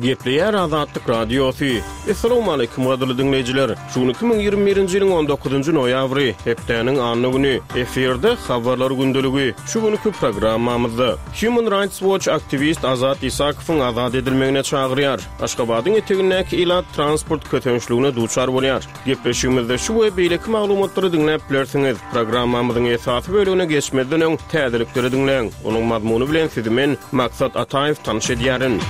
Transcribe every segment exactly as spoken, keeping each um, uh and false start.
Gepleýär Azatlyk Radiosy. Essalawmaleýkim gadyrly diňleýjiler. Şu gün iki müň ýigrimi birinji ýylyň on dokuzynjy noýabry, hepdäniň anna güni. Efirde Habarlar gündeligi. Şu günki programmamyzda Human Rights Watch aktiwist Azat Isakowyň azat edilmegine çagyrýar. Aşgabadyň etegindäki ilat transport kösençligine duçar bolýar. Gepleşigimizde şu we beýleki maglumatlary diňläp bilersiňiz. Programmamyzyň esasy bölegine geçmezden öň täzelikleri diňläň. Onuň mazmuny bilen sizi men, Maksat Ataýew tanyş edýärin.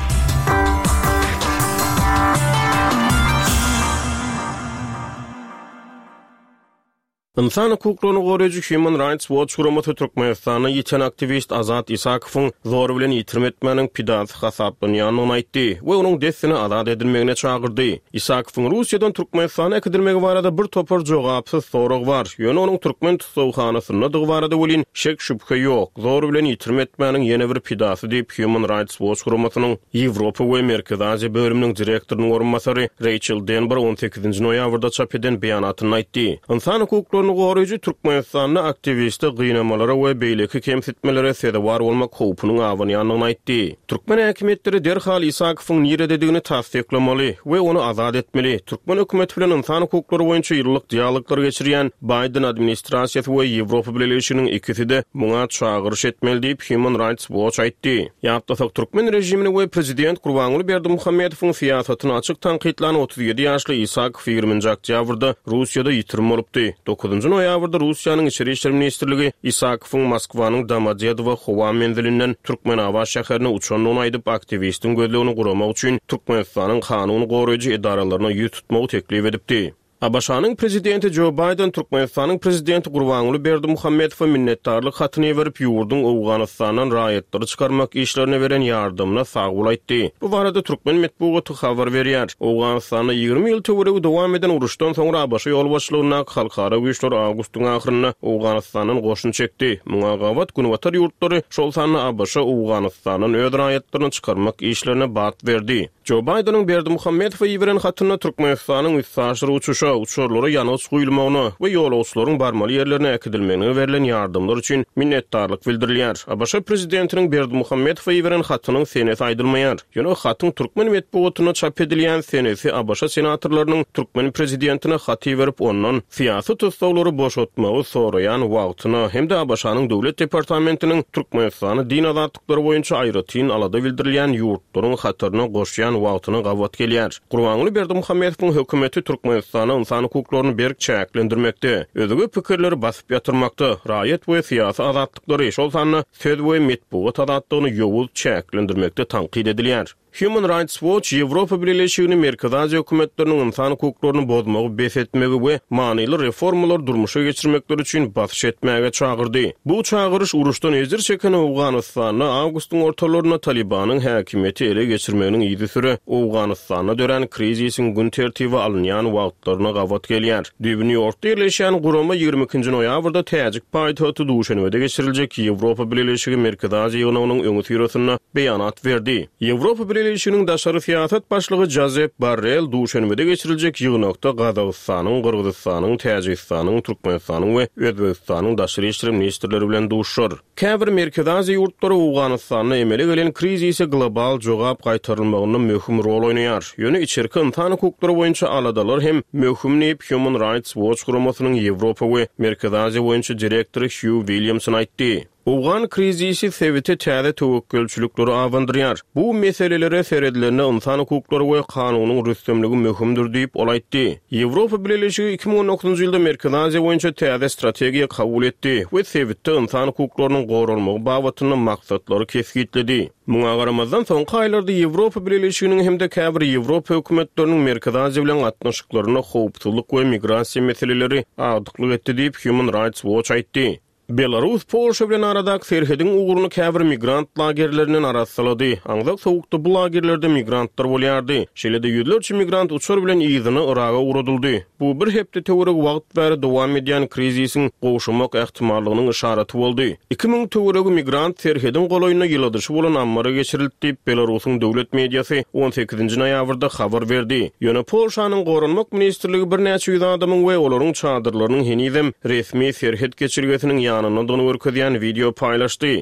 Ynsan hukuklaryny goraýjy Human Rights Watch guramasy Türkmenistanda ýiten aktiwist Azat Isakowyň zor bilen ýitirim etmäniň pidasy hasaplanýandygyny aýtdy we onuň dessine azat edilmegine çagyrdy. Isakowyň Russiýadan Türkmenistana äkidilmegi barada bir topar jogapsyz sorag bar, ýöne onuň türkmen tussaghanasyndadygy barada welin şek-şübhe ýok, zor bilen ýitirim etmäniň ýene bir pidasy diýip, Human Rights Watch guramasynyň Ýewropa we Merkezi Aziýa bölüminiň direktorynyň orunbasary Reýçel Denbar on sekizinji noýabrda çap eden beýanatynda aýtdy. Ynsan hukuklaryny goraýjy Türkmenistanda aktiwiste gynamalara we beýleki kemsitmelere sezewar bolmak howpunyň abanýandygyny aýtdy. Türkmen häkimiýetleri derhal Isakowyň nirededigini tassyklamaly we ony azat etmeli. Türkmen hökümeti bilen ynsan hukuklary boýunça ýyllyk dialoglar geçirýän Baýden administrasiýasy we Ýewropa Bileleşiginiň ikisi-de muňa çagyryş etmeli diýip, Human Rights Watch aýtdy. Ýatlasak, türkmen režimini we prezident Gurbanguly Berdimuhamedowyň syýasatyny açyk tankytlan otuz ýedi ýaşly Isakow ýigriminji oktýabrda Russiýada ýitirim bolupdy. Dokuzynjy noýabrda Russiýanyň Içeri işler ministrligi Isakowyň Moskwanyň Domodedowo howa menzilinden Türkmenabat şäherine uçandygyny aýdyp, aktiwistiň gözlegini guramak üçin Türkmenistanyň kanun goraýjy edaralaryna ýüz tutmagy teklip edipdi. ABŞ-nyň prezidenti Jo Baýden Türkmenistanyň prezidenti Gurbanguly Berdimuhamedowa minnetdarlyk hatyny iberip, ýurduň Owganystandan raýatlary çykarmak işlerine beren ýardamyna sagbol aýtdy. Bu barada türkmen metbugaty habar berýär. Owganystanda ýigrimi ýyl töweregi dowam eden uruşdan soňra ABŞ ýolbaşçylygyndaky halkara güýçler awgustyň ahyrynda Owganystandan goşun çekdi. Muňa gabat Günbatar ýurtlary, şol sanda ABŞ Owganystandan öz raýatlaryny çykarmak işlerine bat berdi. Jo Baýdeniň Berdimuhamedowa iberen hatynda Türkmenistanyň üstaşyr uçuşa, uçarlara ýangyç guýulmagyna we ýolagçylaryň barmaly ýerlerine äkidilmegine berlen ýardamlar üçin minnetdarlyk bildirilýär. ABŞ prezidentiniň Berdimuhamedowa iberen hatynyň senesi aýdylmaýar. Ýöne hatyň türkmen metbugatynda çap edilýän senesi ABŞ senatorlarynyň türkmen prezidentine hat iberip, ondan syýasy tussaglary boşatmagy soraýan wagtyna hem-de ABŞ-nyň Döwlet departamentiniň Türkmenistany din azatlyklary boýunça aýratyn alada bildirilýän ýurtlaryň hataryna goşýan wagtyna gabat gelýär. Gurbanguly Berdimuhamedowyň hökümeti Türkmenistanda ynsan hukuklaryny berk çäklendirmekde, özge pikirleri basyp ýatyrmakda, raýat we syýasy azatlyklary, şol sanda söz we metbugat azatlygyny ýowuz çäklendirmekde tankyt edilýär. Human Rights Watch Ýewropa Bileleşigini Merkezi Aziýa hökümetleriniň ynsan hukuklaryny bozmagy bes etmegi we manyly reformalary durmuşa geçirmekleri üçin basyş etmäge çagyrdy. Bu çagyryş uruşdan ejir çeken Owganystanda awgustyň ortalarynda Talibanyň häkimiýeti ele geçirmeginiň yzysüre Owganystanda dörän krizisiň gün tertibe alynýan wagtlaryna gabat gelýär. Düýbi Nýu-Ýorkda ýerleşýän gurama ýigrimi ikinji noýabrda täjik paýtagty Duşenbede geçiriljek Ýewropa Bileleşigi Merkezi Aziýa ýygnagynyň öňüsyrasynda beýanat berdi. Ýewropa Bileleşiginiň daşary syýasat başlygy Jozep Borrell Duşenbede geçiriljek ýygnakda Gazagystanyň, Gyrgyzystanyň, Täjigistanyň, Türkmenistanyň we Özbegistanyň daşary işler ministrleri bilen duşuşar. Käbir Merkezi Aziýa ýurtlary Owganystanda emele gelen krizise global jogap gaýtarylmagynda möhüm rol oýnaýar. Ýöne içerki ynsan hukuklary boýunça aladalar hem möhüm diýip, Human Rights Watch guramasynyň Ýewropa we Merkezi Aziýa boýunça direktory Hýu Williamson aýtdy. Owgan krizisi sebite täze töwekgelçilikleri abandyrýar. Bu meselelere seredilende ynsan hukuklary we kanunyň rüstemligi möhümdir diýip, ol aýtdy. Ýewropa Bileleşigi iki müň on dokuzynjy ýylda Merkezi Aziýa boýunça täze strategiýa kabul etdi we sebitde ynsan hukuklarynyň goralmagy babatynda maksatlary kesgitledi. Muňa garamazdan, soňky aýlarda Ýewropa Bileleşiginiň hem-de käbir Ýewropa hökümetleriniň Merkezi Aziýa bilen gatnaşyklarynda howpsuzlyk we migrasiýa meseleleri agdyklyk etdi diýip, Human Rights Watch aýtdy. Belarus Polşa bilen aradaky serhediň ugruny käbir migrant lagerlerinden arassalady. Aňzak sowukda bu lagerlerde migrantlar bolýardy. Şeýle-de ýüzlerçe migrant uçar bilen yzyna Yraga ugradyldy. Bu bir hepde töweregi wagt bäri dowam edýän krizisiň gowşamak ähtimallygynyň yşaraty boldy. Iki müň töweregi migrant serhediň golaýynda ýyladyşy bolan ammara geçirildi diýip, Belarusyň döwlet mediasy on sekizinji noýabrda habar berdi. Ýöne Polşanyň Goranmak ministrligi birnäçe ýüz adamyň we olaryň çadyrlarynyň henizem resmi serhet geçelgesiniň ýanyndadygyny görkezýän wideo paýlaşdy.